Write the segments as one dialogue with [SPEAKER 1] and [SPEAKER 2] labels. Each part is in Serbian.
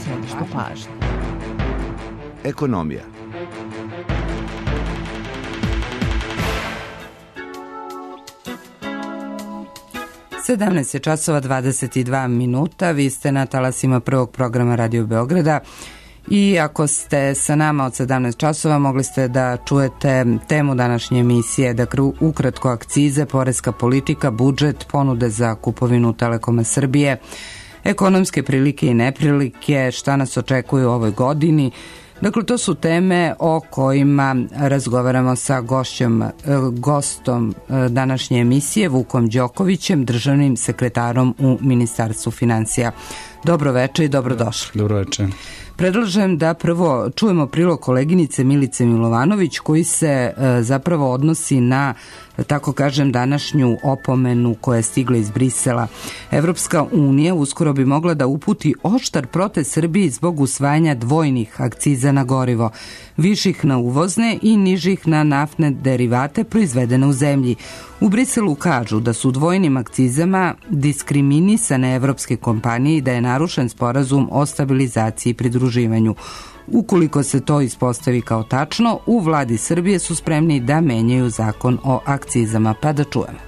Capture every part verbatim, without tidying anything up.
[SPEAKER 1] Središte pažnje.
[SPEAKER 2] Ekonomija.
[SPEAKER 1] sedamnaest je časova dvadeset dva minuta, vi ste na talasima prvog programa Radio Beograda i ako ste sa nama od sedamnaest časova mogli ste da čujete temu današnje emisije, dakle ukratko akcize, poreska politika, budžet, ponude za kupovinu Telekoma Srbije, ekonomske prilike i neprilike, šta nas očekuje u ovoj godini. Dakle, to su teme o kojima razgovaramo sa gošćom, gostom današnje emisije, Vukom Đokovićem, državnim sekretarom u Ministarstvu finansija. Dobro večer i dobrodošli.
[SPEAKER 3] Dobro večer.
[SPEAKER 1] Predlažem da prvo čujemo prilog koleginice Milice Milovanović koji se zapravo odnosi na, tako kažem, današnju opomenu koja je stigla iz Brisela. Evropska unija uskoro bi mogla da uputi oštar protest Srbiji zbog usvajanja dvojnih akciza na gorivo, viših na uvozne i nižih na naftne derivate proizvedene u zemlji. U Briselu kažu da su dvojnim akcizama diskriminisane evropske kompanije i da je narušen sporazum o stabilizaciji i pridruživanju. Ukoliko se to ispostavi kao tačno, u vladi Srbije su spremni da menjaju zakon o akcizama, pa da čujemo.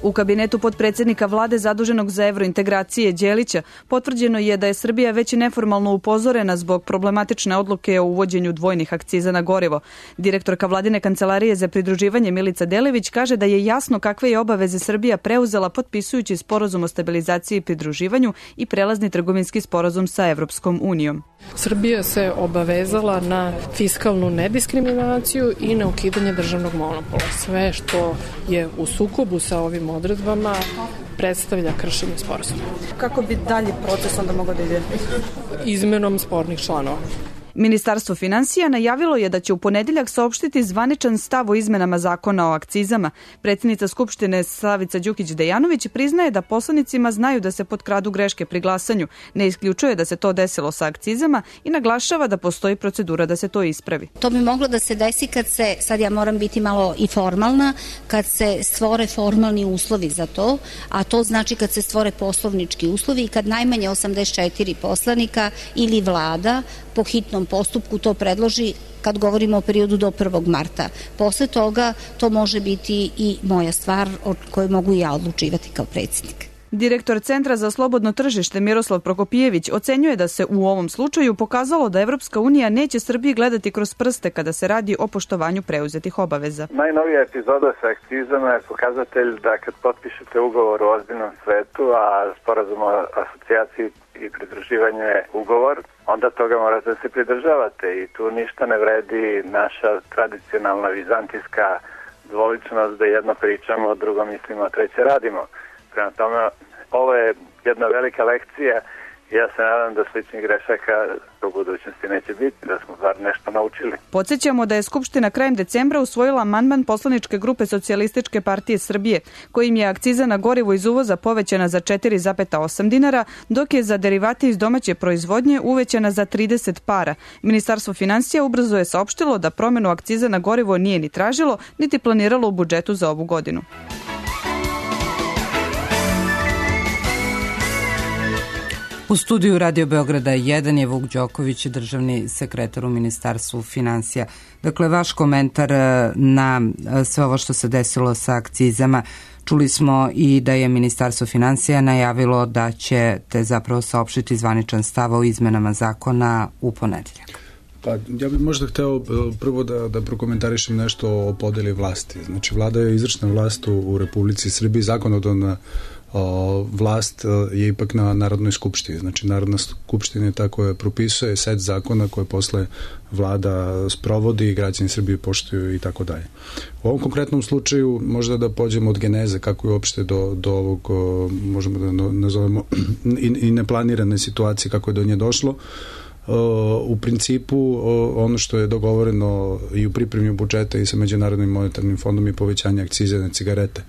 [SPEAKER 4] U kabinetu potpredsednika vlade zaduženog za evrointegracije Đelića potvrđeno je da je Srbija već neformalno upozorena zbog problematične odluke o uvođenju dvojnih akciza na gorivo. Direktorka vladine kancelarije za pridruživanje Milica Delević kaže da je jasno kakve je obaveze Srbija preuzela potpisujući sporazum o stabilizaciji i pridruživanju i prelazni trgovinski sporazum sa Evropskom unijom.
[SPEAKER 5] Srbija se obavezala na fiskalnu nediskriminaciju i na ukidanje državnog monopola. Sve što je u sukobu sa ovim odredbama predstavlja kršenje sporazuma.
[SPEAKER 4] Kako bi dalje proces onda mogao da ide?
[SPEAKER 5] Izmenom spornih članova.
[SPEAKER 4] Ministarstvo finansija najavilo je da će u ponedeljak saopštiti zvaničan stav o izmenama zakona o akcizama. Predsjednica Skupštine Slavica Đukić-Dejanović priznaje da poslanicima znaju da se potkradu greške pri glasanju, ne isključuje da se to desilo sa akcizama i naglašava da postoji procedura da se to ispravi.
[SPEAKER 6] To bi moglo da se desi kad se, sad ja moram biti malo i formalna, kad se stvore formalni uslovi za to, a to znači kad se stvore poslovnički uslovi i kad najmanje osamdeset četiri poslanika ili vlada po hitnom postupku to predloži kad govorimo o periodu do prvog marta. Posle toga to može biti i moja stvar o kojoj mogu i ja odlučivati kao predsjednik.
[SPEAKER 4] Direktor Centra za slobodno tržište Miroslav Prokopijević ocenjuje da se u ovom slučaju pokazalo da Evropska unija neće Srbiji gledati kroz prste kada se radi o poštovanju preuzetih obaveza.
[SPEAKER 7] Najnovija epizoda sa akcizama je pokazatelj da kad potpišete ugovor u ozbiljnom svetu, a sporazum o asocijaciji i pridruživanju je ugovor, onda toga morate da se pridržavate i tu ništa ne vredi naša tradicionalna vizantijska dvoličnost da jedno pričamo, drugo mislimo, a treće radimo. Prema tome, ovo je jedna velika lekcija i ja se nadam da sličnih grešaka u budućnosti neće biti, da smo bar nešto naučili.
[SPEAKER 4] Podsjećamo da je Skupština krajem decembra usvojila amandman poslaničke grupe Socijalističke partije Srbije, kojim je akciza na gorivo iz uvoza povećana za četiri zarez osam dinara, dok je za derivate iz domaće proizvodnje uvećana za trideset para. Ministarstvo finansija ubrzo je saopštilo da promenu akciza na gorivo nije ni tražilo, niti planiralo u budžetu za ovu godinu.
[SPEAKER 1] U studiju Radio Beograda jedan je Vuk Đoković, državni sekretar u Ministarstvu finansija. Dakle, vaš komentar na sve ovo što se desilo sa akcizama. Čuli smo i da je Ministarstvo finansija najavilo da ćete zapravo saopštiti zvaničan stav o izmenama zakona u ponedeljak.
[SPEAKER 3] Pa, ja bih možda hteo prvo da, da prokomentarišem nešto o podeli vlasti. Znači, vlada je izvršna vlast u, u Republici Srbiji, zakonodavna O, vlast je ipak na Narodnoj skupštini. Znači, Narodna skupština je ta koja propisuje set zakona koje posle vlada sprovodi i građani Srbije poštuju i tako dalje. U ovom konkretnom slučaju možda da pođemo od geneze kako je uopšte do, do ovog, o, možemo da nazovemo i, i neplanirane situacije kako je do nje došlo. U principu ono što je dogovoreno i u pripremi budžeta i sa Međunarodnim monetarnim fondom je povećanje akcize na cigarete.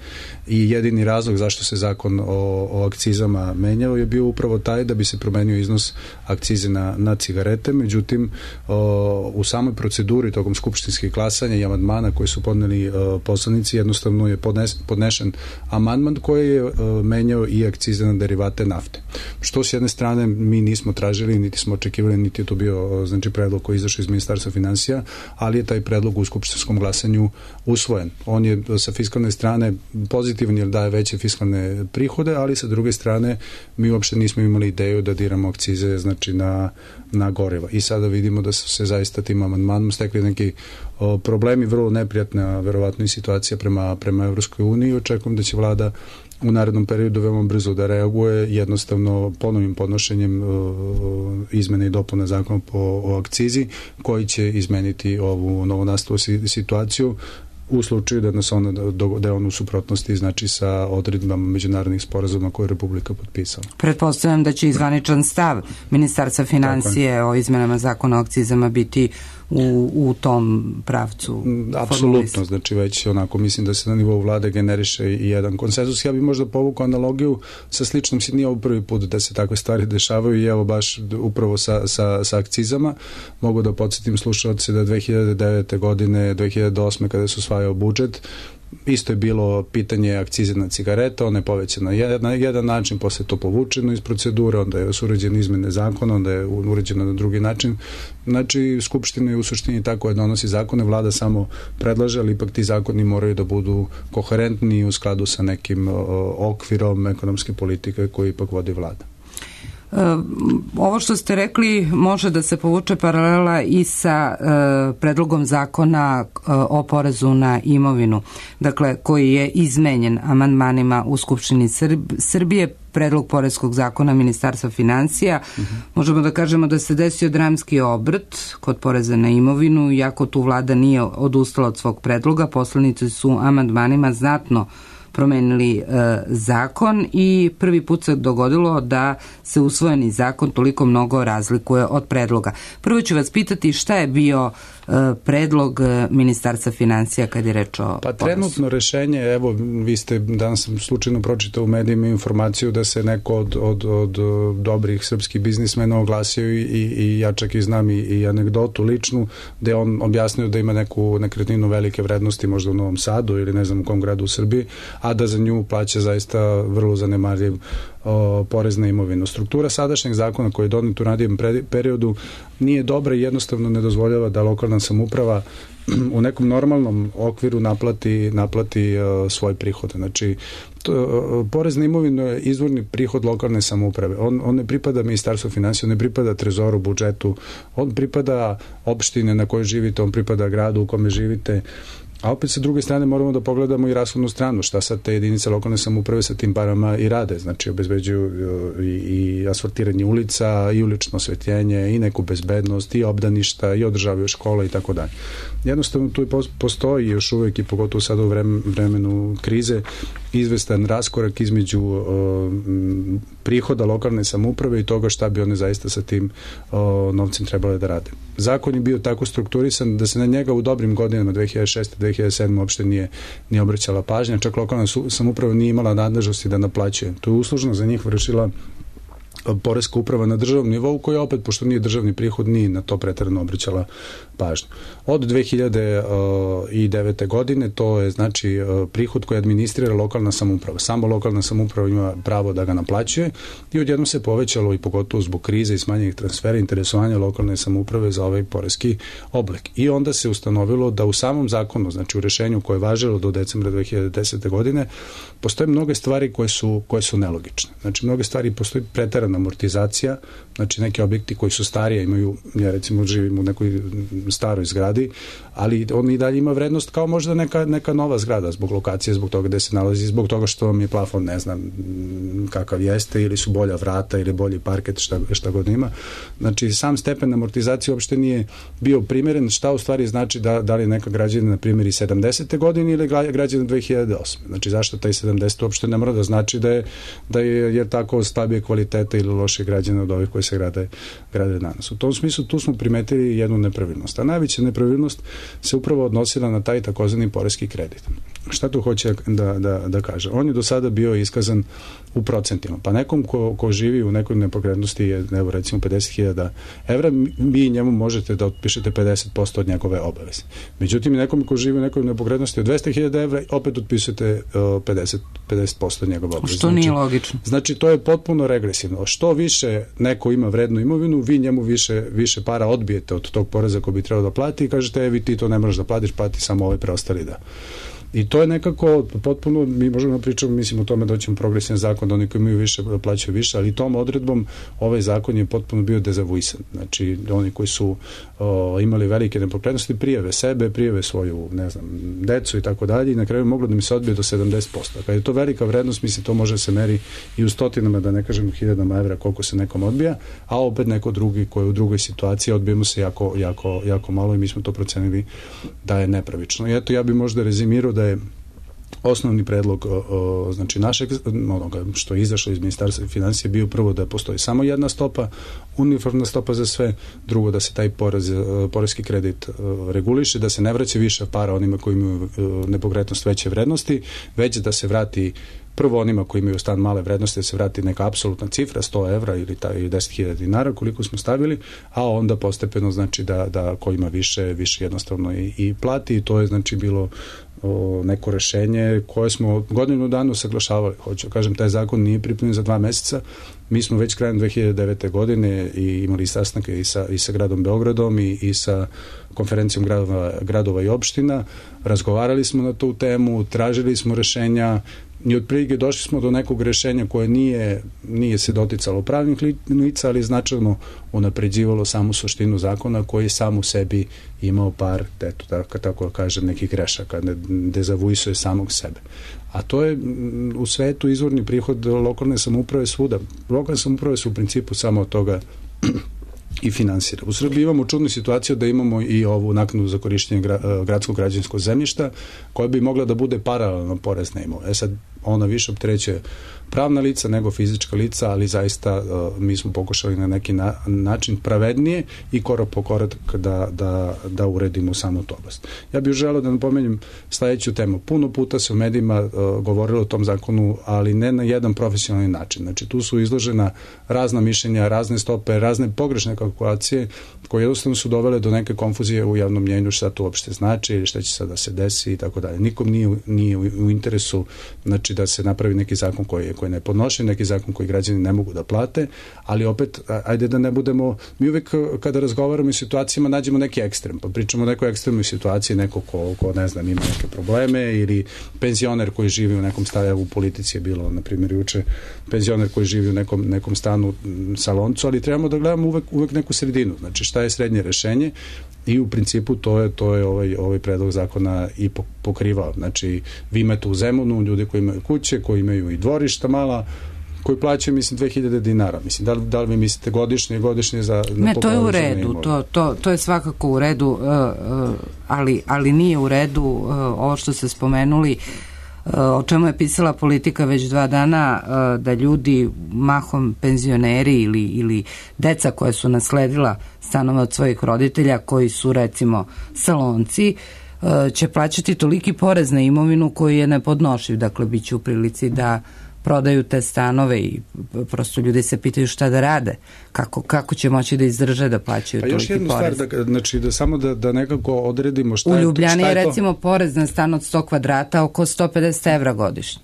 [SPEAKER 3] I jedini razlog zašto se zakon o, o akcizama menjao je bio upravo taj da bi se promenio iznos akcize na, na cigarete. Međutim, o, u samoj proceduri tokom skupštinskih glasanja i amandmana koje su podneli o, poslanici, jednostavno je podnes, podnešen amandman koji je o, menjao i akcize na derivate nafte. što s jedne strane mi nismo tražili, niti smo očekivali, niti je to bio znači predlog koji je izašao iz Ministarstva finansija, ali je taj predlog u skupštinskom glasanju usvojen. On je sa fiskalne strane pozitivan jer daje veće fiskalne prihode, ali sa druge strane mi uopšte nismo imali ideju da diramo akcize znači na, na goriva. I sada vidimo da su se zaista tim amandmanom stekli neki o, problemi, vrlo neprijatna verovatno i situacija prema, prema Evropskoj uniji. Očekujem da će vlada u narednom periodu veoma brzo da reaguje jednostavno ponovim podnošenjem o, izmene i dopuna zakona po o akcizi koji će izmeniti ovu novonastalu situaciju u slučaju da nas ona da je on u suprotnosti znači sa odredbama međunarodnih sporazuma koje je Republika potpisala.
[SPEAKER 1] Pretpostavljam da će izvaničan stav Ministarstva financije o izmenama zakona o akcizama biti u, u tom pravcu.
[SPEAKER 3] Apsolutno, znači već onako mislim da se na nivou vlade generiše i jedan konsenzus. Ja bih možda povukao analogiju sa sličnom, nije ovo prvi put da se takve stvari dešavaju i evo baš upravo sa, sa, sa akcizama. Mogu da podsjetim slušalce da dve hiljade devete godine, dve hiljade osme kada se usvajao budžet, isto je bilo pitanje akcize na cigarete, ona je povećana na jedan način, posle to povučeno iz procedure, onda je uređene izmene zakona, onda je uređeno na drugi način. Znači, Skupština je u suštini tako je donosi zakone, vlada samo predlaže, ali ipak ti zakoni moraju da budu koherentni u skladu sa nekim okvirom ekonomske politike koju ipak vodi vlada.
[SPEAKER 1] Ovo što ste rekli može da se povuče paralela i sa e, predlogom zakona e, o porezu na imovinu, dakle koji je izmenjen amandmanima u Skupštini Srb, Srbije, predlog poreskog zakona Ministarstva financija. Uh-huh. Možemo da kažemo da se desio dramski obrt kod poreza na imovinu, iako tu vlada nije odustala od svog predloga, poslanici su amandmanima znatno promenili e, zakon i prvi put se dogodilo da se usvojeni zakon toliko mnogo razlikuje od predloga. Prvo ću vas pitati šta je bio e, predlog Ministarstva financija kad je reč o
[SPEAKER 3] Pa trenutno rešenje, evo vi ste danas sam slučajno pročitao u medijima informaciju da se neko od, od, od dobrih srpskih biznismena oglasio i, i, i ja čak i znam i, i anegdotu ličnu gde on objasnio da ima neku nekretninu velike vrednosti možda u Novom Sadu ili ne znam u kom gradu u Srbiji, a da za nju plaća zaista vrlo zanemarljiv o, porez na imovinu. Struktura sadašnjeg zakona koji je donet u ranijem periodu nije dobra i jednostavno ne dozvoljava da lokalna samouprava u nekom normalnom okviru naplati, naplati uh, svoj prihod. Znači, to, uh, porez na imovinu je izvorni prihod lokalne samouprave. On, on ne pripada Ministarstvu financija, on ne pripada trezoru, budžetu, on pripada opštine na kojoj živite, on pripada gradu u kome živite. A opet sa druge strane moramo da pogledamo i rashodnu stranu, šta sad te jedinice lokalne samouprave sa tim parama i rade, znači obezbeđuju i, i asfaltiranje ulica, i ulično osvetljenje, i neku bezbednost, i obdaništa, i održavaju škola i tako dalje. Jednostavno tu postoji još uvek i pogotovo sada u vremenu krize izvestan raskorak između o, prihoda lokalne samouprave i toga šta bi one zaista sa tim o, novcem trebale da rade. Zakon je bio tako strukturisan da se na njega u dobrim godinama dve hiljade šeste dve hiljade sedme uopšte nije, nije obraćala pažnja, čak lokalna samouprava nije imala nadležnosti da naplaćuje. To je uslužno za njih vršila poreska uprava na državnom nivou koja opet, pošto nije državni prihod, nije na to preterano obraćala pažnju. Od dve hiljade devete godine to je znači prihod koji administrira lokalna samouprava. Samo lokalna samouprava ima pravo da ga naplaćuje i odjednom se povećalo i pogotovo zbog krize i smanjenih transfera interesovanja lokalne samouprave za ovaj poreski oblik. I onda se ustanovilo da u samom zakonu, znači u rešenju koje je važilo do decembra dve hiljade desete godine, postoje mnoge stvari koje su, koje su nelogične. Znači mnoge stvari, postoji preterana amortizacija, znači neki objekti koji su starije imaju, ja recimo živim u nekoj staroj zgradi, ali on i dalje ima vrednost kao možda neka, neka nova zgrada zbog lokacije, zbog toga gde se nalazi, zbog toga što vam je plafon, ne znam kakav jeste, ili su bolja vrata ili bolji parket, šta, šta god ima. Znači sam stepen amortizacije uopšte nije bio primjeren, šta u stvari znači da, da li je neka građevina na primjer i sedamdesete godine ili građevina dve hiljade osme. Znači zašto taj sedamdeseti uopšte ne mora da znači da je, da je, je tako slabije kvaliteta ili loše građevina od ovih koji se grade, grade danas. U tom smislu tu smo primetili jednu nepravilnost. A najveća nepravilnost se upravo odnosila na taj takozvani poreski kredit. Šta tu hoće da, da, da kaže? On je do sada bio iskazan u procentima. Pa nekom ko, ko živi u nekoj nepokretnosti je, evo recimo pedeset hiljada evra, vi njemu možete da otpišete pedeset posto od njegove obaveze. Međutim, nekom ko živi u nekoj nepokretnosti od dvesta hiljada evra, opet otpisujete uh, pedeset posto od njegove obaveze.
[SPEAKER 1] Što nije logično.
[SPEAKER 3] Znači, to je potpuno regresivno. što više neko ima vrednu imovinu, vi njemu više, više para odbijete od tog poreza koji bi trebao da plati i kažete, e, vi ti to ne možeš da platiš, plati samo ove preostali da. I to je nekako potpuno, mi možemo da pričamo, mislim o tome da ćemo progresivan zakon da oni koji imaju više da plaćaju više, ali tom odredbom ovaj zakon je potpuno bio dezavuisan. Znači, oni koji su o, imali velike nepokretnosti, prijave sebe, prijave svoju, ne znam, decu i tako dalje i na kraju moglo da mi se odbije do sedamdeset posto. Kad je to velika vrednost, mislim, to može se meri i u stotinama, da ne kažem hiljadama evra koliko se nekom odbija, a opet neko drugi koji je u drugoj situaciji odbijemo se jako, jako, jako malo i mi smo to procenili da je nepravično. I eto, ja bih možda rezimirao da je osnovni predlog o, o, znači našeg onoga što je izašlo iz Ministarstva finansija bio prvo da postoji samo jedna stopa, uniformna stopa za sve, drugo da se taj porez, porezki kredit reguliše, da se ne vraća više para onima koji imaju nepokretnost veće vrednosti, već da se vrati prvo onima koji imaju stan male vrednosti da se vrati neka apsolutna cifra, sto evra ili, ta, ili deset hiljada dinara koliko smo stavili, a onda postepeno znači da, da ko ima više, više jednostavno i, i plati i to je znači bilo o, neko rešenje koje smo godinu dana usaglašavali. Hoću kažem, taj zakon nije pripremljen za dva meseca. Mi smo već krajem dve hiljade devete. godine i imali sastanke i sa, i sa gradom Beogradom i, i sa konferencijom gradova, gradova i opština. Razgovarali smo na tu temu, tražili smo rešenja i otprilike došli smo do nekog rešenja koje nije, nije se doticalo pravnih lica, ali značajno unapređivalo samu suštinu zakona koji je sam u sebi imao par, eto, tako, tako kažem, nekih grešaka, ne dezavuisuje samog sebe. A to je u svetu izvorni prihod lokalne samouprave svuda. Lokalne samouprave su u principu samo od toga i finansira. U Srbiji imamo čudnu situaciju da imamo i ovu naknadu za korišćenje gradskog građevinskog zemljišta koja bi mogla da bude paralelno porezna imovina. E sad, ona više opterećuje pravna lica nego fizička lica, ali zaista uh, mi smo pokušali na neki na, način pravednije i korak po korak da, da, da uredimo samo tu oblast. Ja bih želeo da napomenem sledeću temu. Puno puta se u medijima uh, govorilo o tom zakonu, ali ne na jedan profesionalni način. Znači, tu su izložena razna mišljenja, razne stope, razne pogrešne kalkulacije koje jednostavno su dovele do neke konfuzije u javnom mnjenju šta to uopšte znači ili šta će sad da se desi i tako dalje. Nikom nije, nije u interesu znači da se napravi neki zakon koji je koji ne podnoši, neki zakon koji građani ne mogu da plate, ali opet, ajde da ne budemo, mi uvek kada razgovaramo o situacijama nađemo neki ekstrem, pa pričamo o nekoj ekstremnoj situaciji, neko ko, ko ne znam, ima neke probleme ili penzioner koji živi u nekom stanu, u politici je bilo, na primjer, juče, penzioner koji živi u nekom, nekom stanu saloncu, ali trebamo da gledamo uvek, uvek neku sredinu, znači šta je srednje rešenje i u principu to je, to je ovaj, ovaj predlog zakona i pokrivao. Znači, vi imate u Zemunu ljudi koji imaju kuće, koji imaju i dvorišta mala, koji plaćaju, mislim, dve hiljade dinara. Mislim, da li, da li vi mislite godišnje, godišnje za...
[SPEAKER 1] Ne, to je u redu, to, to, to je svakako u redu, uh, uh, ali, ali nije u redu uh, ovo što ste spomenuli, uh, o čemu je pisala Politika već dva dana, uh, da ljudi, mahom penzioneri ili, ili deca koja su nasledila stanove od svojih roditelja, koji su, recimo, salonci, uh, će plaćati toliki porez na imovinu koji je nepodnošiv. Dakle, bit će u prilici da prodaju te stanove i prosto ljudi se pitaju šta da rade, kako, kako će moći da izdrže da plaćaju
[SPEAKER 3] pa
[SPEAKER 1] toliki porez.
[SPEAKER 3] Pa još jednu stvar, da, znači da samo da, da nekako odredimo šta je to.
[SPEAKER 1] U Ljubljani je, je recimo porez na stan od sto kvadrata oko sto pedeset evra godišnje.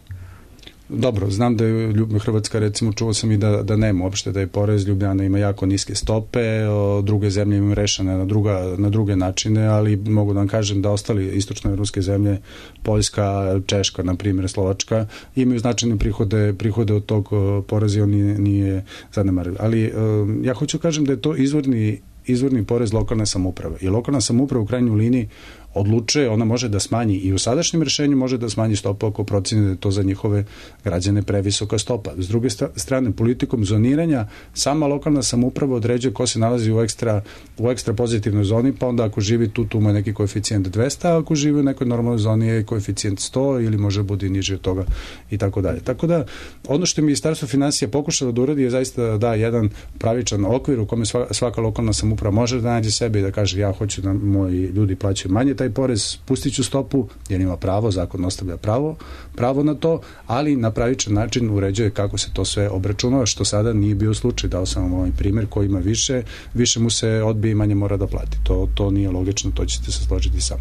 [SPEAKER 3] Dobro, znam da je Hrvatska, recimo, čuo sam i da, da nema uopšte, da je porez, Ljubljana ima jako niske stope, o, druge zemlje imaju rešene na, druga, na druge načine, ali mogu da vam kažem da ostali istočnoevropske zemlje, Poljska, Češka, na primjer, Slovačka, imaju značajne prihode, prihode od tog poreza i on nije, nije zanemariv. Ali o, ja hoću kažem da je to izvorni, izvorni porez lokalne samouprave. I lokalna samouprava u krajnjoj liniji odlučuje, ona može da smanji i u sadašnjem rešenju može da smanji stopu ako proceni da je to za njihove građane previsoka stopa. S druge strane, politikom zoniranja sama lokalna samouprava određuje ko se nalazi u ekstra, u ekstra pozitivnoj zoni, pa onda ako živi tu, tu ima neki koeficijent dvesta, a ako živi u nekoj normalnoj zoni je koeficijent sto ili može bude niži od toga i tako dalje. Tako da, ono što je Ministarstvo finansija pokušalo da uradi je zaista da da jedan pravičan okvir u kome svaka lokalna samouprava može da nađe sebe i da kaže ja hoću da moji ljudi plaćaju manje taj porez, pustit ću stopu, jer ima pravo, zakon ostavlja pravo, pravo na to, ali na pravičan način uređuje kako se to sve obračunava, što sada nije bio slučaj. Dao sam vam ovaj primjer koji ima više, više mu se odbije i manje mora da plati. To, to nije logično, to ćete se složiti sam.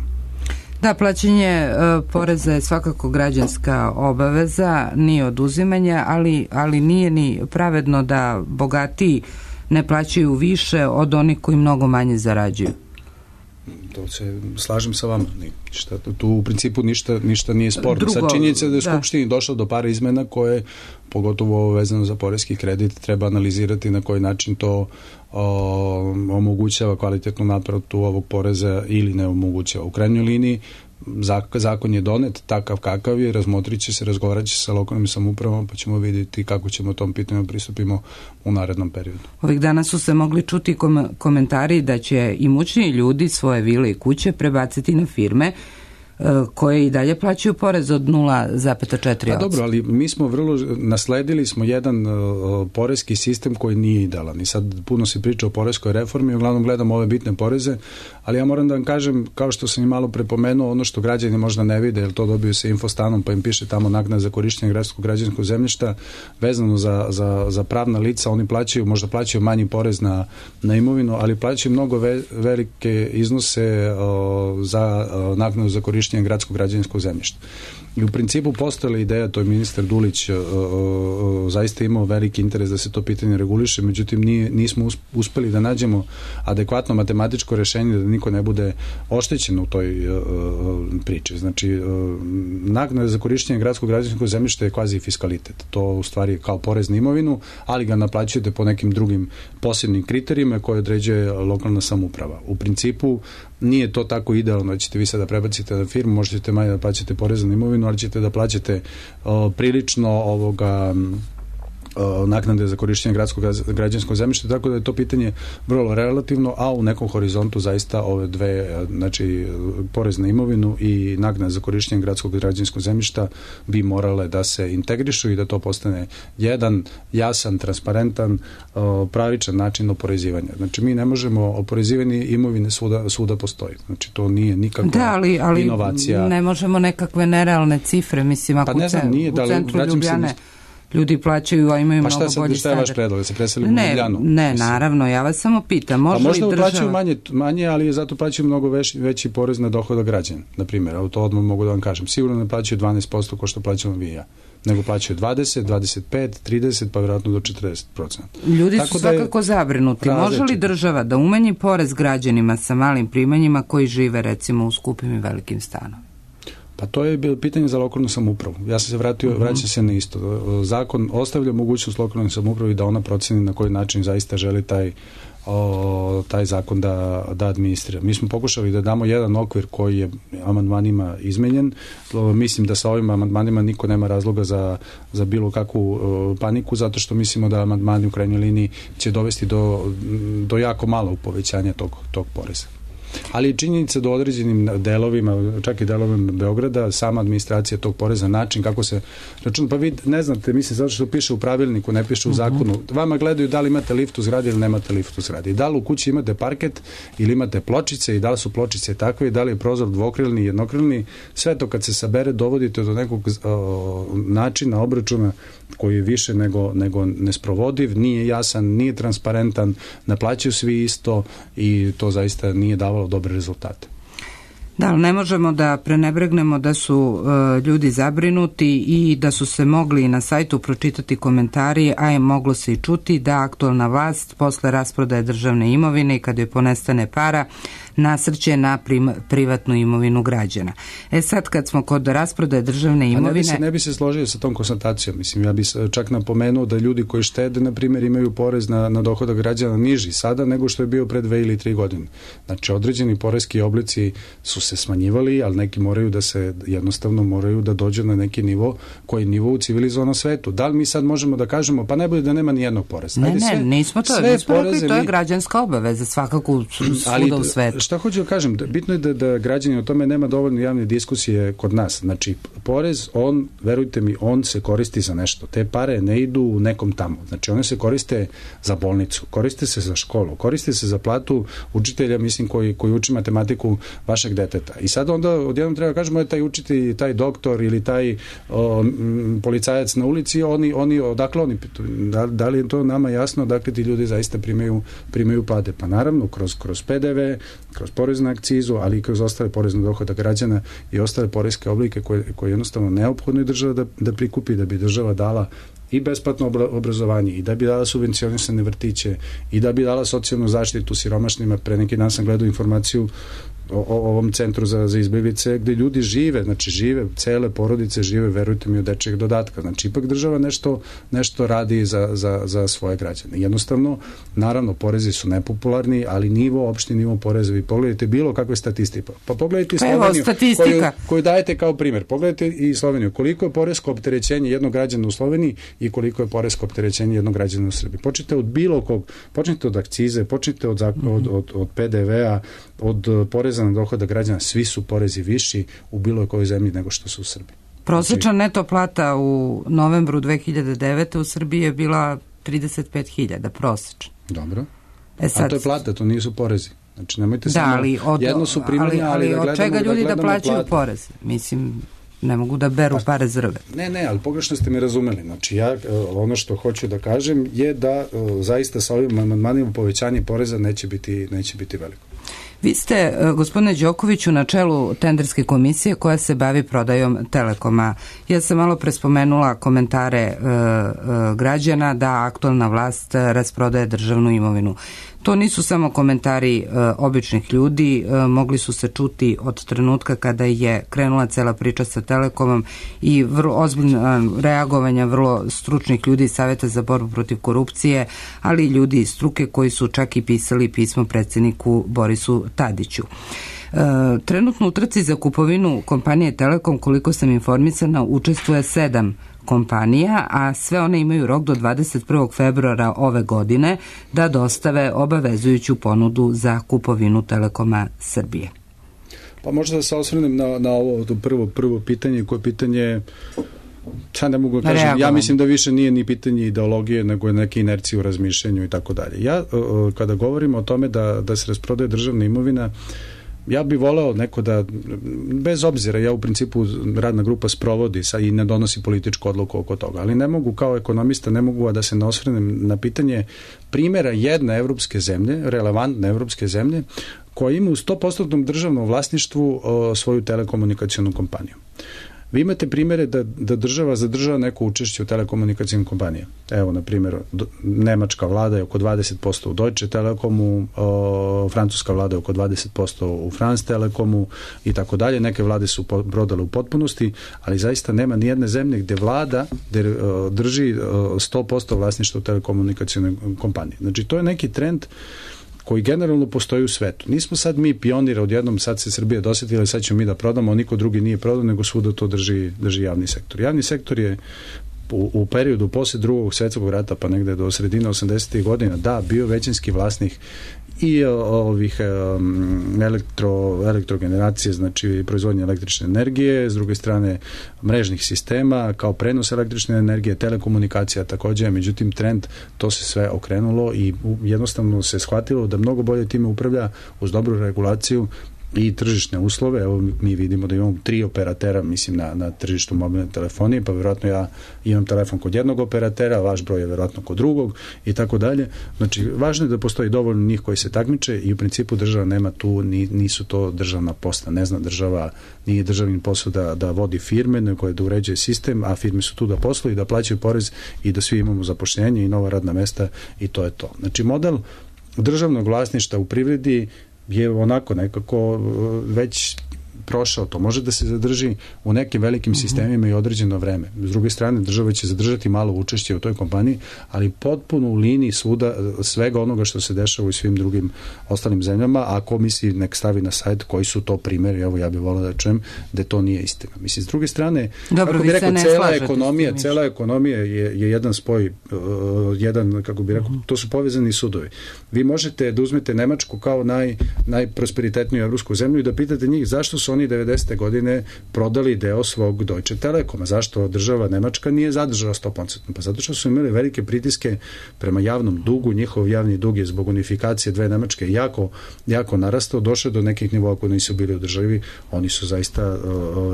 [SPEAKER 1] Da, plaćanje uh, poreza je svakako građanska obaveza, nije oduzimanje, ali, ali nije ni pravedno da bogatiji ne plaćaju više od onih koji mnogo manje zarađuju.
[SPEAKER 3] To se slažem sa vama. Ništa, tu u principu ništa, ništa nije sporno. Sad činjenica da je Skupštini došlo do par izmena koje, pogotovo vezano za poreski kredit, treba analizirati na koji način to o, omogućava kvalitetnu naplatu ovog poreza ili ne omogućava. U krajnjoj liniji zakon je donet takav kakav je, razmotrit će se, razgovarat će se sa lokalnim samoupravama, pa ćemo vidjeti kako ćemo tom pitanju pristupimo u narednom periodu.
[SPEAKER 1] Ovih dana su se mogli čuti kom- komentari da će imućniji ljudi svoje vile i kuće prebaciti na firme koje i dalje plaćaju porez od nula zarez četiri posto.
[SPEAKER 3] A dobro, ali mi smo vrlo, nasledili smo jedan uh, poreski sistem koji nije idealan i sad puno se priča o poreskoj reformi, uglavnom gledamo ove bitne poreze, ali ja moram da vam kažem, kao što sam i malo prepomenuo, ono što građani možda ne vide, jer to dobiju se infostanom, pa im piše tamo naknada za korištenje gradskog građevinskog zemljišta, vezano za, za, za pravna lica, oni plaćaju, možda plaćaju manji porez na, na imovinu, ali plaćaju mnogo ve, velike iznose uh, za uh, naknadu za korištenje gradskog građevinskog zemljišta. I u principu postojala ideja, to je ministar Dulić uh, uh, zaista imao veliki interes da se to pitanje reguliše, međutim nije, nismo uspeli da nađemo adekvatno matematičko rešenje da niko ne bude oštećen u toj uh, priči. Znači, uh, naknada za korištenje gradskog građevinskog zemljišta je kvazi fiskalitet. To u stvari je kao porez na imovinu, ali ga naplaćujete po nekim drugim posebnim kriterijima koje određuje lokalna samouprava. U principu nije to tako idealno da ćete vi sada prebacite na firmu, možete manje da plaćate porez na imovinu, ali ćete da plaćate uh, prilično ovoga naknade za korištenje gradskog građevinskog zemljišta, tako da je to pitanje vrlo relativno, a u nekom horizontu zaista ove dve, znači porez na imovinu i naknada za korištenje gradskog građevinskog zemljišta bi morale da se integrišu i da to postane jedan jasan, transparentan, pravičan način oporezivanja. Znači mi ne možemo, oporezivanje imovine svuda, svuda postoji. Znači to nije nikakva
[SPEAKER 1] da, ali, ali
[SPEAKER 3] inovacija.
[SPEAKER 1] Ne možemo nekakve nerealne cifre, mislim, ako
[SPEAKER 3] pa ne znam, nije,
[SPEAKER 1] u centru
[SPEAKER 3] da,
[SPEAKER 1] Ljubljane ljudi plaćaju, a imaju
[SPEAKER 3] pa
[SPEAKER 1] mnogo bolji standard.
[SPEAKER 3] Pa šta je vaš predlog? Da se preseli u Ljubljanu?
[SPEAKER 1] Ne, naravno, ja vas samo pitam. Može
[SPEAKER 3] pa možda
[SPEAKER 1] li država...
[SPEAKER 3] plaćaju manje, manje, ali zato plaćaju mnogo veći, veći porez na dohodak građana. Na primjer, to odmah mogu da vam kažem. Sigurno ne plaćaju dvanaest posto ko što plaćamo vi i ja, nego plaćaju dvadeset, dvadeset pet, trideset, pa vjerojatno do četrdeset posto.
[SPEAKER 1] Ljudi su svakako zabrinuti. Može li država da umanji porez građanima sa malim primanjima koji žive recimo u skupim i velikim stanovima?
[SPEAKER 3] Pa to je bilo pitanje za lokalnu samoupravu. Ja sam se vratio, uh-huh. vraćam se na isto. Zakon ostavlja mogućnost lokalnoj samoupravi da ona proceni na koji način zaista želi taj, o, taj zakon da, da administrira. Mi smo pokušali da damo jedan okvir koji je amandmanima izmenjen. O, mislim da sa ovim amandmanima niko nema razloga za, za bilo kakvu o, paniku, zato što mislimo da amandmani u krajnjoj liniji će dovesti do, do jako malog povećanja tog, tog poreza. Ali činjenica do određenim delovima, čak i delovima Beograda, sama administracija tog poreza, način kako se računa, pa vi ne znate, mislim, zato što piše u pravilniku, ne piše u zakonu, vama gledaju da li imate lift u zgradi ili nemate lift u zgradi. I da li u kući imate parket ili imate pločice i da li su pločice takve i da li je prozor dvokrilni, jednokrilni, sve to kad se sabere dovodite do nekog o, načina obračuna koji je više nego, nego nesprovodiv, nije jasan, nije transparentan, ne plaćaju svi isto i to zaista nije davalo dobre rezultate.
[SPEAKER 1] Da, ali ne možemo da prenebregnemo da su uh, ljudi zabrinuti i da su se mogli na sajtu pročitati komentari, a je moglo se i čuti da aktualna vlast posle rasprodaje državne imovine i kada je ponestane para nasrće na prim, privatnu imovinu građana. E sad kad smo kod rasprodaje državne imovine...
[SPEAKER 3] A ne bi se, ne bi se složio sa tom konstatacijom. Mislim, ja bi čak napomenuo da ljudi koji štede, na primjer, imaju porez na, na dohodak građana niži sada nego što je bio pre dve ili tri godine. Znači, određeni poreski oblici su se smanjivali, ali neki moraju da se, jednostavno moraju da dođu na neki nivo koji je nivo u civilizovanom svetu. Da li mi sad možemo da kažemo, pa ne bude da nema ni jednog poreza?
[SPEAKER 1] Ne, Ajde, sve, ne, nismo to, nismo rekli, to je građanska obaveza svakako svuda u svetu.
[SPEAKER 3] Šta hoću da kažem, bitno je da, da građani o tome nema dovoljno javne diskusije kod nas. Znači, porez, on, verujte mi, on se koristi za nešto. Te pare ne idu u nekom tamo. Znači, one se koriste za bolnicu, koriste se za školu, koriste se za platu učitelja, mislim, koji, koji uči matematiku vašeg deteta. deteta. I sad onda odjednom treba kažemo je taj učitelj, taj doktor ili taj o, m, policajac na ulici, oni, oni odakle oni, da, da li je to nama jasno, dakle ti ljudi zaista primaju, primaju plate? Pa naravno, kroz, kroz P D V, kroz porez na akcizu, ali i kroz ostale porez na dohodak građana i ostale poreske oblike koje, koje jednostavno neophodno je država da, da prikupi, da bi država dala i besplatno obrazovanje, i da bi dala subvencionisane vrtiće, i da bi dala socijalnu zaštitu siromašnima. Pre neki dan sam gledao informaciju o, o ovom centru za, za izbjeglice gde ljudi žive, znači žive, cele porodice žive, verujte mi, od dečjeg dodatka. Znači ipak država nešto, nešto radi za, za, za svoje građane. Jednostavno, naravno, porezi su nepopularni, ali nivo, opšti nivo poreza, vi pogledajte bilo kakve statistike. Pa pogledajte
[SPEAKER 1] pa
[SPEAKER 3] Sloveniju, koju,
[SPEAKER 1] koju,
[SPEAKER 3] koju dajete kao primjer. Pogledajte i Sloveniju. Koliko je poresko opterećenje jednog građana u Sloveniji i koliko je poresko opterećenje jednog građana u Srbiji. Počnite od bilo kog, počnite od akcize, počnite od, od, od, od, od P D V-a, od poreza na dohodak građana, svi su porezi viši u bilo kojoj zemlji nego što su u Srbiji.
[SPEAKER 1] Prosječna neto plata u novembru dve hiljade devete u Srbiji je bila trideset pet hiljada, prosječna.
[SPEAKER 3] Dobro.
[SPEAKER 1] E sad,
[SPEAKER 3] a to je plata, to nisu porezi. Znači, nemojte
[SPEAKER 1] da,
[SPEAKER 3] samo,
[SPEAKER 1] ali od,
[SPEAKER 3] jedno su primanja, ali, ali, ali
[SPEAKER 1] da
[SPEAKER 3] od
[SPEAKER 1] čega ljudi
[SPEAKER 3] da,
[SPEAKER 1] da plaćaju
[SPEAKER 3] plate.
[SPEAKER 1] porez? Mislim, ne mogu da beru pa, pare zrve.
[SPEAKER 3] Ne, ne, ali pogrešno ste me razumeli. Znači, ja, ono što hoću da kažem je da zaista sa ovim amandmanima povećanje poreza neće biti, neće biti veliko.
[SPEAKER 1] Vi ste, gospodine Đokoviću, na čelu tenderske komisije koja se bavi prodajom Telekoma. Ja sam malo prespomenula komentare e, e, građana da aktualna vlast rasprodaje državnu imovinu. To nisu samo komentari e, običnih ljudi, e, mogli su se čuti od trenutka kada je krenula cela priča sa Telekomom i vrlo ozbiljno reagovanja vrlo stručnih ljudi iz Saveta za borbu protiv korupcije, ali i ljudi iz struke koji su čak i pisali pismo predsjedniku Borisu Tadiću. E, trenutno u trci za kupovinu kompanije Telekom, koliko sam informisana, učestvuje sedam kompanija, a sve one imaju rok do dvadeset prvog februara ove godine da dostave obavezujuću ponudu za kupovinu Telekoma Srbije.
[SPEAKER 3] Pa možda da se osvrnem na, na ovo prvo, prvo pitanje, koje pitanje, ja ne mogu da kažem, ja mislim da više nije ni pitanje ideologije, nego je neke inercije u razmišljanju i tako dalje. Ja, kada govorimo o tome da, da se rasprodaje državna imovina, ja bih voleo neko da, bez obzira, ja u principu radna grupa sprovodi sa, i ne donosi političku odluku oko toga, ali ne mogu kao ekonomista, ne mogu a da se ne osvrnem na pitanje primjera jedne evropske zemlje, relevantne evropske zemlje, koja ima u sto posto državnom vlasništvu o, svoju telekomunikacijonu kompaniju. Vi imate primjere da, da država zadržava neko učešće u telekomunikacijnim kompanije. Evo, na primjer, nemačka vlada je oko dvadeset posto u Deutsche Telekomu, o, francuska vlada je oko dvadeset posto u France Telekomu i tako dalje. Neke vlade su prodale u potpunosti, ali zaista nema ni jedne zemlje gde vlada gde, o, drži o, sto posto vlasništva u telekomunikacijnoj kompaniji. Znači, to je neki trend koji generalno postoji u svetu. Nismo sad mi pioniri, odjednom sad se Srbija dosjetila i sad ćemo mi da prodamo, niko drugi nije prodao, nego svuda to drži, drži javni sektor. Javni sektor je u, u periodu posle drugog svjetskog rata, pa negde do sredine osamdesetih godina, da, bio većinski vlasnik i ovih um, elektro, elektrogeneracije, znači proizvodnje električne energije, s druge strane mrežnih sistema, kao prenos električne energije, telekomunikacija takođe, međutim trend, to se sve okrenulo i jednostavno se shvatilo da mnogo bolje time upravlja uz dobru regulaciju i tržišne uslove. Evo mi vidimo da imamo tri operatera, mislim, na, na tržištu mobilne telefonije, pa vjerojatno ja imam telefon kod jednog operatera, vaš broj je vjerojatno kod drugog i tako dalje. Znači, važno je da postoji dovoljno njih koji se takmiče i u principu država nema tu, ni, nisu to državna posla. Ne zna država, nije državni posao da, da vodi firme, nego je da uređuje sistem, a firme su tu da posluju, da plaćaju porez i da svi imamo zapošljenje i nova radna mesta i to je to. Znači, model državnog vlasništva u privredi je onako nekako već prošao, to može da se zadrži u nekim velikim sistemima i određeno vreme. S druge strane, država će zadržati malo učešće u toj kompaniji, ali potpuno u liniji svuda svega onoga što se dešava u svim drugim ostalim zemljama, a ko misli nek stavi na sajt koji su to primjeri, evo ja bih volao da čujem da to nije istina. Mislim, s druge strane,
[SPEAKER 1] dobro,
[SPEAKER 3] kako bih rekao, cela ekonomija, cela ekonomija je, je jedan spoj, uh, jedan, kako bih rekao, uh-huh. to su povezani sudovi. Vi možete da uzmete Nemačku kao naj, najprosperitetniju evropsku zemlju i da pitate njih zašto su oni devedesete godine prodali deo svog Deutsche Telekoma. Zašto država Nemačka nije zadržala sto posto? Pa zato što su imali velike pritiske prema javnom dugu, njihov javni dug je zbog unifikacije dve Nemačke jako, jako narastao, došao do nekih nivoa koji nisu bili u državi, oni su zaista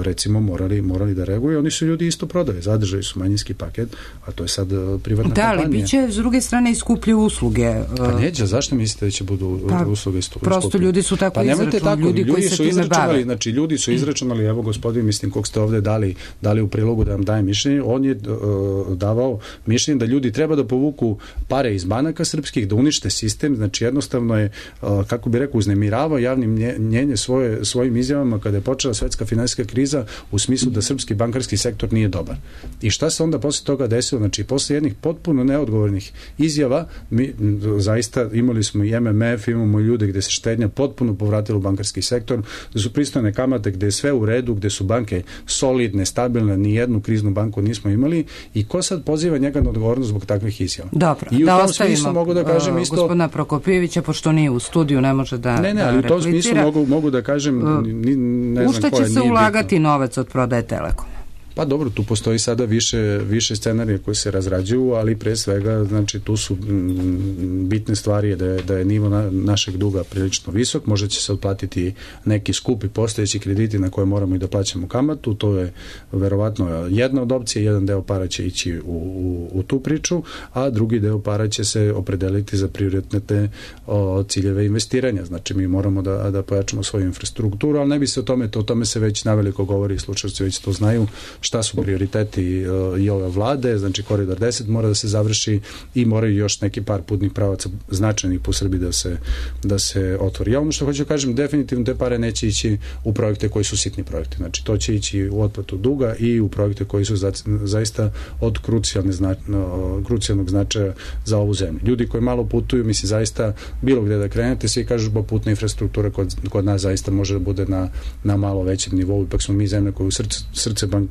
[SPEAKER 3] recimo morali, morali da reaguju, oni su ljudi isto prodali, zadržali su manjinski paket, a to je sad privatna
[SPEAKER 1] da,
[SPEAKER 3] kompanija.
[SPEAKER 1] Da, ali biće s druge strane i skuplje usluge.
[SPEAKER 3] Pa neće, zašto mislite da će budu pa, usluge skuplje?
[SPEAKER 1] Prosto ljudi su tako
[SPEAKER 3] pa
[SPEAKER 1] izračunali, ljudi, ljudi koji se time bave.
[SPEAKER 3] Znači, ljudi su izračunali, evo gospodin, mislim, kog ste ovde dali, dali u prilogu da vam daje mišljenje, on je uh, davao mišljenje da ljudi treba da povuku pare iz banaka srpskih, da unište sistem, znači jednostavno je, uh, kako bi rekao, uznemiravao javnim mnjenje svoje, svojim izjavama kada je počela svetska finansijska kriza u smislu da srpski bankarski sektor nije dobar. I šta se onda posle toga desilo? Znači, posle jednih potpuno neodgovornih izjava, mi zaista imali smo i M M F, imamo ljude gde se štednja potpuno povratila u bankarski sektor, gde su pristojne kamate, gde je sve u redu, gde su banke solidne, stabilne, ni jednu kriznu banku nismo imali i ko sad poziva njega na odgovornost zbog takvih izjava?
[SPEAKER 1] Dobro,
[SPEAKER 3] I u
[SPEAKER 1] da
[SPEAKER 3] tom
[SPEAKER 1] ostavimo
[SPEAKER 3] smislu mogu da kažem isto...
[SPEAKER 1] gospodina Prokopijevića, pošto nije u studiju, ne može da
[SPEAKER 3] Ne, ne,
[SPEAKER 1] da
[SPEAKER 3] ali u tom
[SPEAKER 1] replicira.
[SPEAKER 3] smislu mogu, mogu da kažem ni, ne
[SPEAKER 1] u
[SPEAKER 3] znam
[SPEAKER 1] šta
[SPEAKER 3] koja
[SPEAKER 1] će se
[SPEAKER 3] nije
[SPEAKER 1] ulagati
[SPEAKER 3] bitno.
[SPEAKER 1] Novac od prodaje Telekoma?
[SPEAKER 3] Pa dobro, tu postoji sada više, više scenarija koje se razrađuju, ali pre svega, znači, tu su m, bitne stvari da je, da je nivo na, našeg duga prilično visok, možda će se otplatiti neki skupi postojeći krediti na koje moramo i da plaćamo kamatu, to je verovatno jedna od opcije, jedan deo para će ići u, u, u tu priču, a drugi deo para će se opredeliti za prioritetne o, ciljeve investiranja, znači mi moramo da, da pojačamo svoju infrastrukturu, ali ne bi se o tome, to, o tome se već naveliko govori, slušalci već to znaju, šta su prioriteti uh, i ove vlade, znači Koridor deset mora da se završi i moraju još neki par putnih pravaca značajnih po Srbiji da se, da se otvori. Ja ono što hoću da kažem, definitivno te pare neće ići u projekte koji su sitni projekti, znači to će ići u otplatu duga i u projekte koji su za, zaista od krucijalne zna, no, krucijalnog značaja za ovu zemlju. Ljudi koji malo putuju, mislim zaista bilo gde da krenete, svi kažu ba putna infrastruktura kod, kod nas zaista može da bude na, na malo većem nivou, ipak smo mi zemlja koja u srce, srce bank,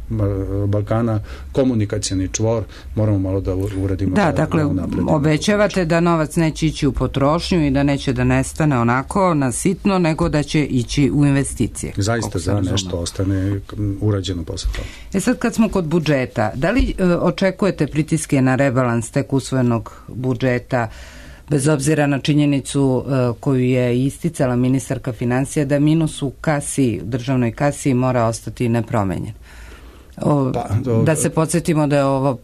[SPEAKER 3] Balkana, komunikacioni čvor, moramo malo da uradimo.
[SPEAKER 1] Da, dakle, obećavate da novac neće ići u potrošnju i da neće da nestane onako na sitno, nego da će ići u investicije.
[SPEAKER 3] Zaista za nešto ostane urađeno posle toga.
[SPEAKER 1] E sad kad smo kod budžeta, da li e, očekujete pritiske na rebalans tek usvojenog budžeta, bez obzira na činjenicu e, koju je isticala ministarka financija, da minus u kasi, državnoj kasi mora ostati nepromenjen? O, pa, do, da se podsjetimo da je ovo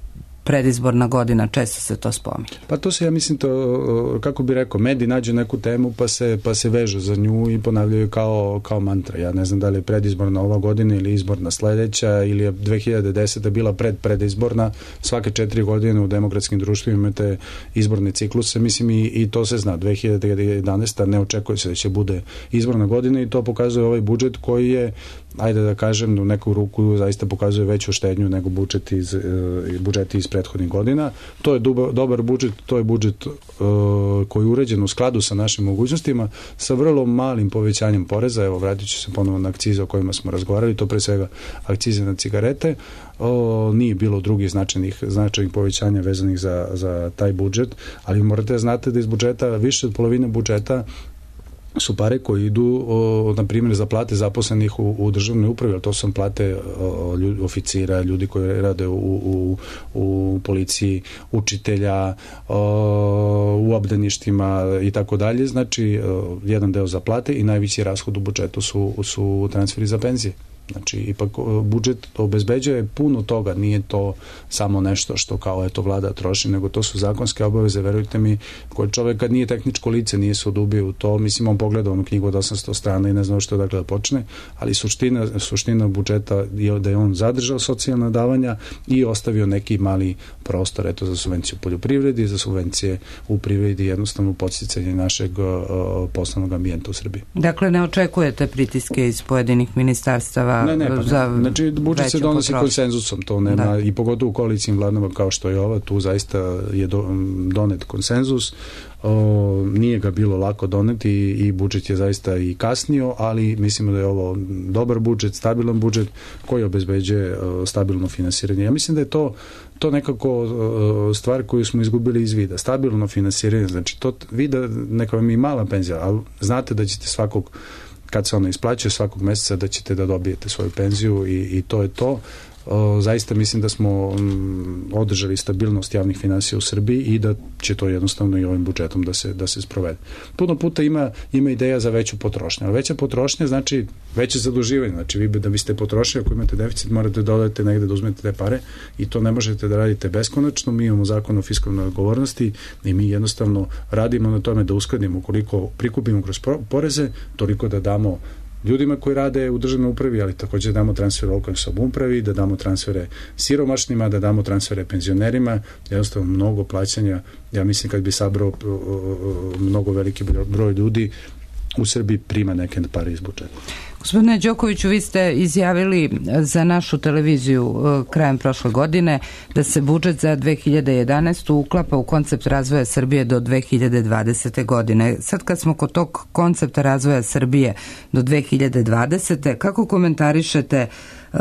[SPEAKER 1] predizborna godina, često se to spominje.
[SPEAKER 3] Pa to se, ja mislim, to, kako bi rekao, mediji nađu neku temu pa se, pa se vežu za nju i ponavljaju kao, kao mantra. Ja ne znam da li je predizborna ova godina ili izborna sledeća ili je dve hiljade deseta bila pred predizborna. Svake četiri godine u demokratskim društvima imate izborne cikluse, mislim i, i to se zna. dve hiljade jedanaesta ne očekuje se da će bude izborna godina i to pokazuje ovaj budžet koji je, ajde da kažem, u neku ruku zaista pokazuje veću štednju nego budžet iz, budžeti iz prethodnih godina. To je dobar, dobar budžet, to je budžet uh, koji je uređen u skladu sa našim mogućnostima, sa vrlo malim povećanjem poreza. Evo, vratit ću se ponovo na akcize o kojima smo razgovarali, to pre svega akcize na cigarete. O, nije bilo drugih značajnih, značajnih povećanja vezanih za, za taj budžet, ali morate da znate da iz budžeta, više od polovine budžeta su pare koji idu, o, na primjer, za plate zaposlenih u, u državnoj upravi, ali to su plate o, ljudi, oficira, ljudi koji rade u, u, u policiji, učitelja, o, u obdaništima i tako dalje. Znači, o, jedan deo za plate i najveći rashod u budžetu su, su transferi za penzije. Znači, ipak budžet obezbeđuje puno toga, nije to samo nešto što kao eto vlada troši, nego to su zakonske obaveze, verujte mi, koji čovek kad nije tehničko lice, nije se odubio u to, mislim, on pogleda onu knjigu od osamsto strana i ne zna što dakle da počne, ali suština, suština budžeta je da je on zadržao socijalna davanja i ostavio neki mali prostor, eto, za subvenciju u poljoprivredi, za subvencije u privredi, jednostavno podsticanje našeg uh, poslovnog ambijenta u Srbiji.
[SPEAKER 1] Dakle, ne očekujete pritiske iz pojedinih ministarstava?
[SPEAKER 3] Ne, ne, pa ne.
[SPEAKER 1] Za
[SPEAKER 3] znači, budžet se donosi potrošnju konsenzusom, to nema, da. I pogotovo u koalicijim vladama kao što je ova, tu zaista je do, donet konsenzus. O, nije ga bilo lako doneti i, i budžet je zaista i kasnio, ali mislimo da je ovo dobar budžet, stabilan budžet koji obezbeđuje o, stabilno finansiranje. Ja mislim da je to to nekako o, stvar koju smo izgubili iz vida. Stabilno finansiranje, znači to vida neka vam i mala penzija, ali znate da ćete svakog kad se ona isplaćuje svakog meseca da ćete da dobijete svoju penziju i, i to je to. O, zaista mislim da smo m, održali stabilnost javnih finansija u Srbiji i da će to jednostavno i ovim budžetom da se, da se sprovede. Puno puta ima, ima ideja za veću potrošnju, ali veća potrošnja znači veće zaduživanje, znači vi da biste potrošili, ako imate deficit morate da dodate negde da uzmete te pare i to ne možete da radite beskonačno. Mi imamo zakon o fiskalnoj odgovornosti i mi jednostavno radimo na tome da uskladimo koliko prikupimo kroz poreze, toliko da damo ljudima koji rade u državnoj upravi, ali također damo transfer lokalnoj samoupravi, da damo transfere siromašnima, da damo transfere penzionerima, jednostavno mnogo plaćanja. Ja mislim kad bi sabrao mnogo veliki broj ljudi u Srbiji prima neke pare iz budžeta.
[SPEAKER 1] Gospodine Đokoviću, vi ste izjavili za našu televiziju krajem prošle godine da se budžet za dve hiljade jedanaestu uklapa u koncept razvoja Srbije do dve hiljade dvadesete. godine. Sad kad smo kod tog koncepta razvoja Srbije do dve hiljade dvadesete. kako komentarišete uh,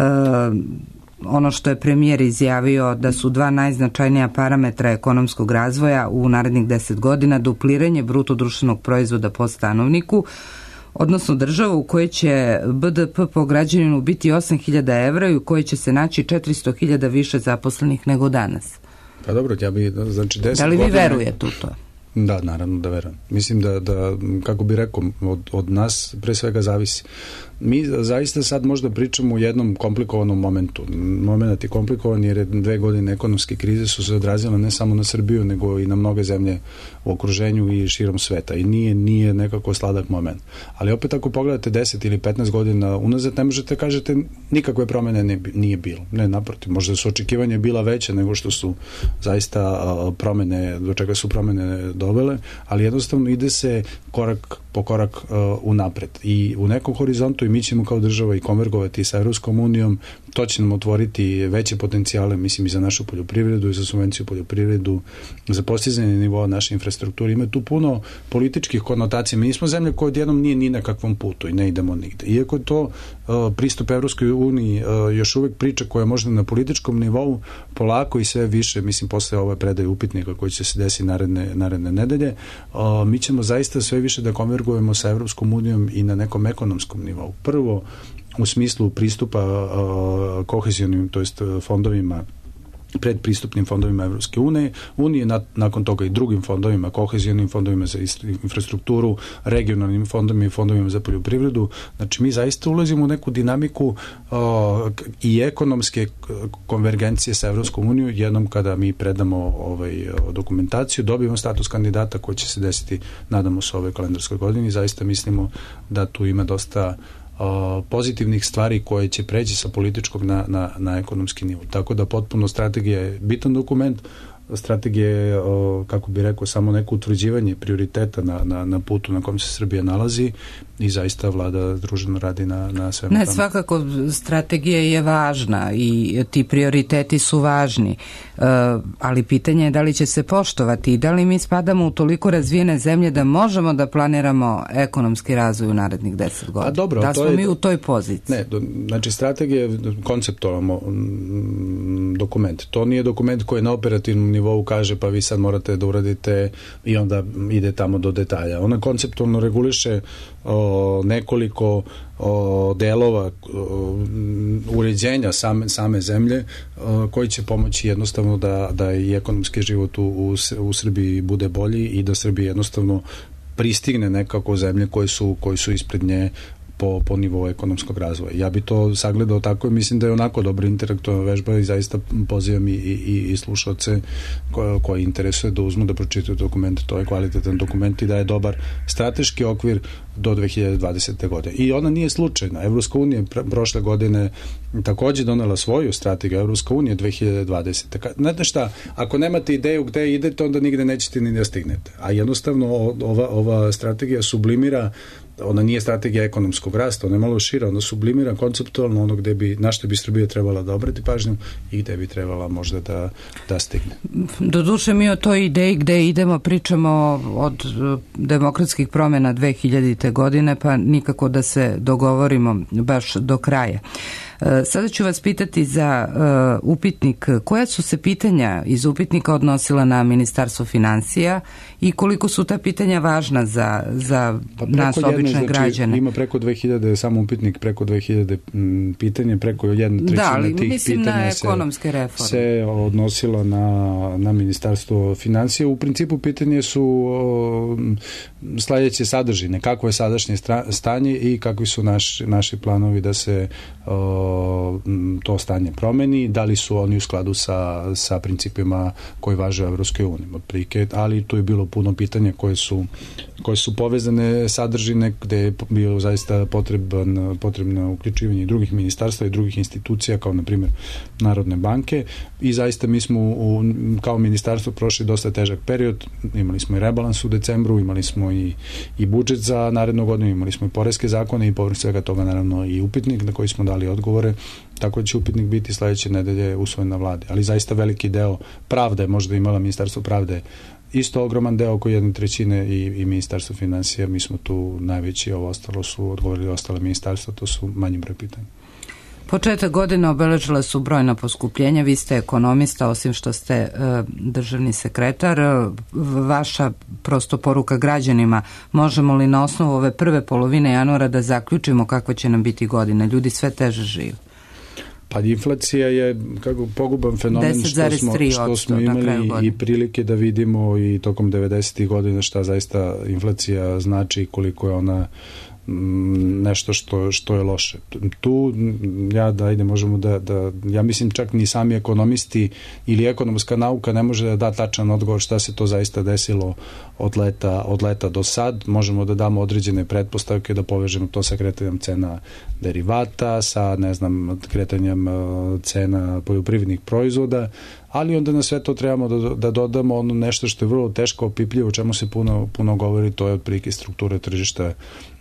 [SPEAKER 1] ono što je premijer izjavio da su dva najznačajnija parametra ekonomskog razvoja u narednih deset godina dupliranje bruto društvenog proizvoda po stanovniku, odnosno država u kojoj će B D P po građaninu biti osam hiljada evra i u kojoj će se naći četiristo hiljada više zaposlenih nego danas?
[SPEAKER 3] Pa dobro, ja bi, znači deset
[SPEAKER 1] Da li vi
[SPEAKER 3] godina...
[SPEAKER 1] verujete u to?
[SPEAKER 3] Da, naravno da verujem. Mislim da, da kako bi rekao, od, od nas pre svega zavisi. Mi zaista sad možda pričamo u jednom komplikovanom momentu. Moment je komplikovan jer je dve godine ekonomske krize su se odrazile ne samo na Srbiju, nego i na mnoge zemlje u okruženju i širom sveta. I nije, nije nekako sladak moment. Ali opet ako pogledate deset ili petnaest godina unazad, ne možete kažete nikakve promene ne, nije bilo. Ne, naprotiv, možda su očekivanja bila veće nego što su zaista promene, do čega su promene dovele, ali jednostavno ide se korak po korak uh, unapred. I u nekom horizontu i mi ćemo kao država i konvergovati sa Evropskom unijom, to će nam otvoriti veće potencijale, mislim, i za našu poljoprivredu i za subvenciju poljoprivredu, za postizanje nivoa naše infrastrukture. Ima tu puno političkih konotacija. Mi nismo zemlja koja odjednom nije ni na kakvom putu i ne idemo nigde. Iako je to uh, pristup Evropskoj uniji uh, još uvek priča koja je možda na političkom nivou polako i sve više, mislim, posle ove predaje upitnika koji će se desiti naredne, naredne nedelje, uh, mi ćemo zaista sve više da konvergujemo sa Evropskom unijom i na nekom ekonomskom nivou. Prvo, u smislu pristupa uh, kohezionim, to jest fondovima, predpristupnim fondovima Evropske unije, unije na, nakon toga i drugim fondovima, kohezionim fondovima za infrastrukturu, regionalnim fondovima i fondovima za poljoprivredu. Znači, mi zaista ulazimo u neku dinamiku uh, i ekonomske konvergencije sa Evropskom unijom jednom kada mi predamo ovaj, dokumentaciju, dobijemo status kandidata koji će se desiti, nadamo se, ove kalendarskoj godini. Zaista mislimo da tu ima dosta pozitivnih stvari koje će preći sa političkog na, na, na ekonomski nivo. Tako da potpuno strategija je bitan dokument. Strategija je, kako bi rekao, samo neko utvrđivanje prioriteta na, na, na putu na kom se Srbija nalazi i zaista vlada druženo radi na, na svemu
[SPEAKER 1] ne,
[SPEAKER 3] tamo.
[SPEAKER 1] Svakako strategija je važna i ti prioriteti su važni, uh, ali pitanje je da li će se poštovati i da li mi spadamo u toliko razvijene zemlje da možemo da planiramo ekonomski razvoj u narednih deset godina.
[SPEAKER 3] A dobro,
[SPEAKER 1] da smo
[SPEAKER 3] je,
[SPEAKER 1] mi u toj poziciji?
[SPEAKER 3] Ne, do, znači strategija je konceptualno dokument. To nije dokument koji na operativnom nivou kaže pa vi sad morate da uradite i onda ide tamo do detalja. Ona konceptualno reguliše o, nekoliko o, delova o, uređenja same, same zemlje o, koji će pomoći jednostavno da, da i ekonomski život u, u, u Srbiji bude bolji i da Srbija jednostavno pristigne nekako zemlje koje su, koji su ispred nje po, po nivou ekonomskog razvoja. Ja bi to sagledao tako i mislim da je onako dobra interaktivna vežba i zaista pozivam i, i, i slušalce koje, koje interesuje da uzmu da pročitaju dokumente. To je kvalitetan dokument i da je dobar strateški okvir do dve hiljade dvadesete. godine. I ona nije slučajna. Evropska unija prošle godine takođe donela svoju strategiju. Evropska unija dve hiljade dvadesete. Znate šta, ako nemate ideju gde idete, onda nigde nećete ni da stignete. A jednostavno ova, ova strategija sublimira, ona nije strategija ekonomskog rasta, ona je malo šira, ona sublimira konceptualno ono gde bi, na što bi Srbija trebala da obrati pažnju i gde bi trebala možda da, da stigne.
[SPEAKER 1] Doduše mi o toj ideji gde idemo pričamo od demokratskih promjena dve hiljadite. godine, pa nikako da se dogovorimo baš do kraja. Sada ću vas pitati za uh, upitnik. Koja su se pitanja iz upitnika odnosila na Ministarstvo finansija i koliko su ta pitanja važna za, za
[SPEAKER 3] pa
[SPEAKER 1] nas,
[SPEAKER 3] jedne,
[SPEAKER 1] obične
[SPEAKER 3] znači,
[SPEAKER 1] građane?
[SPEAKER 3] Ima preko dve hiljade, samo upitnik preko dve hiljade m, pitanja, preko jedna trećina
[SPEAKER 1] da, ali,
[SPEAKER 3] tih
[SPEAKER 1] mislim
[SPEAKER 3] pitanja
[SPEAKER 1] na
[SPEAKER 3] se,
[SPEAKER 1] ekonomske reforme.
[SPEAKER 3] se odnosila na, na Ministarstvo finansija. U principu pitanje su o, sledeće sadržine, kako je sadašnje stanje i kakvi su naš, naši planovi da se o, to stanje promeni, da li su oni u skladu sa, sa principima koji važe u Evropskoj uniji, ali tu je bilo puno pitanja koje su, koje su povezane sadržine, gde je bio zaista potreban, potrebno uključivanje i drugih ministarstva i drugih institucija, kao na primjer Narodne banke, i zaista mi smo u, kao ministarstvo prošli dosta težak period, imali smo i rebalans u decembru, imali smo i, i budžet za narednu godinu, imali smo i poreske zakone i povrh svega toga naravno i upitnik na koji smo dali odgovore, tako da će upitnik biti sledeće nedelje usvojen na vladi. Ali zaista veliki deo pravde, možda imala Ministarstvo pravde isto ogroman deo, oko jedne trećine i, i Ministarstvo finansija, mi smo tu najveći, ovo ostalo su odgovorili ostale ministarstva, to su manji broj pitanja.
[SPEAKER 1] Početak godine obeležila su brojna poskupljenja, vi ste ekonomista, osim što ste e, državni sekretar, vaša prosto poruka građanima, možemo li na osnovu ove prve polovine januara da zaključimo kakva će nam biti godina, ljudi sve teže žive?
[SPEAKER 3] Pa inflacija je kako poguban fenomen što smo, što smo imali i prilike da vidimo i tokom devedesetih godina šta zaista inflacija znači, koliko je ona nešto što, što je loše. Tu ja da ajde možemo da, da ja mislim čak ni sami ekonomisti ili ekonomska nauka ne može da da tačan odgovor šta se to zaista desilo od leta, od leta do sad. Možemo da damo određene pretpostavke, da povežemo to sa kretanjem cena derivata, sa ne znam kretanjem cena poljoprivrednih proizvoda, ali onda na sve to trebamo da, da dodamo ono nešto što je vrlo teško opipljivo, o čemu se puno, puno govori, to je otprilike struktura tržišta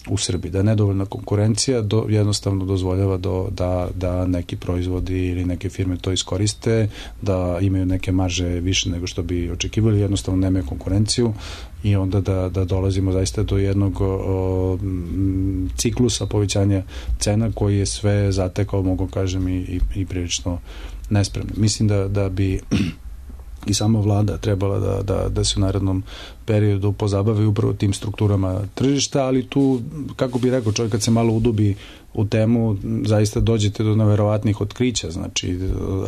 [SPEAKER 3] u Srbiji, da je nedovoljna konkurencija do, jednostavno dozvoljava do, da, da neki proizvodi ili neke firme to iskoriste, da imaju neke marže više nego što bi očekivali, jednostavno nemaju konkurenciju i onda da, da dolazimo zaista do jednog o, m, ciklusa povećanja cena koji je sve zatekao, mogu kažem, i, i, i prilično nespremno. Mislim da, da bi i sama vlada trebala da, da, da se u narednom periodu pozabavi upravo tim strukturama tržišta, ali tu, kako bi rekao, čovjek kad se malo udubi u temu, zaista dođete do neverovatnih otkrića. Znači,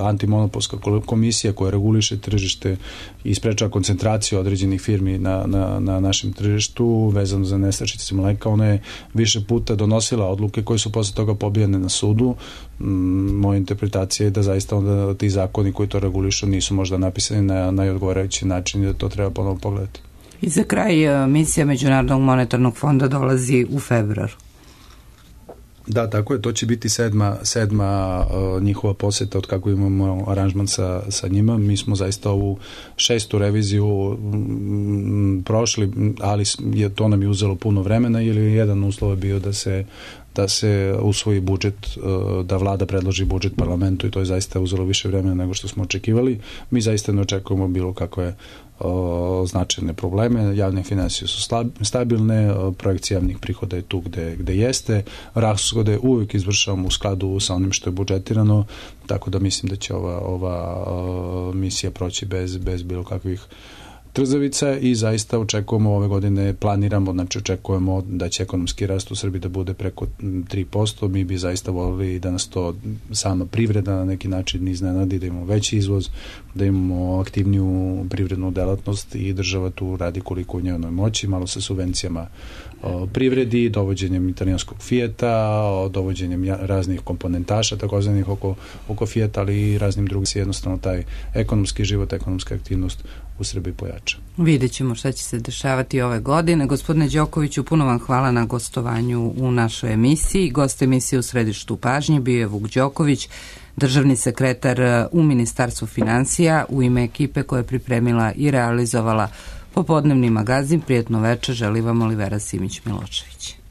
[SPEAKER 3] antimonopolska komisija koja reguliše tržište i sprečava koncentraciju određenih firmi na, na, na našem tržištu vezano za nestašice mleka, ona je više puta donosila odluke koje su posle toga pobijane na sudu. Moja interpretacija je da zaista onda ti zakoni koji to regulišu nisu možda napisani na najodgovarajući način i da to treba ponovo pogledati.
[SPEAKER 1] I za kraj, misija Međunarodnog monetarnog fonda dolazi u februaru.
[SPEAKER 3] Da, tako je, to će biti sedma, sedma uh, njihova poseta od kako imamo aranžman sa, sa njima. Mi smo zaista ovu šestu reviziju m, prošli, ali je, to nam je uzelo puno vremena, ili jedan uslov je bio da se da se usvoji budžet, da vlada predloži budžet parlamentu i to je zaista uzelo više vremena nego što smo očekivali. Mi zaista ne očekujemo bilo kakve o, značajne probleme. Javne finansije su slab, stabilne, projekcija javnih prihoda je tu gde, gde jeste, rashode uvijek izvršavamo u skladu sa onim što je budžetirano, tako da mislim da će ova, ova o, misija proći bez, bez bilo kakvih trzavica i zaista očekujemo ove godine, planiramo, znači očekujemo da će ekonomski rast u Srbiji da bude preko tri posto, mi bi zaista volili da nas to sama privreda na neki način iznenadi, da imamo veći izvoz, da imamo aktivniju privrednu delatnost i država tu radi koliko u njenoj moći, malo sa subvencijama o, privredi, dovođenjem italijanskog Fijata, o, dovođenjem raznih komponentaša takozvanih oko, oko Fijata, ali i raznim drugim, jednostavno taj ekonomski život, ekonomska aktivnost u Srbiji pojača.
[SPEAKER 1] Vidjet ćemo šta će se dešavati ove godine. Gospodine Đokoviću, puno vam hvala na gostovanju u našoj emisiji. Gost emisije u središtu pažnje bio je Vuk Đoković, državni sekretar u Ministarstvu finansija, u ime ekipe koja je pripremila i realizovala popodnevni magazin. Prijetno večer, želi vam Olivera Simić-Milošević.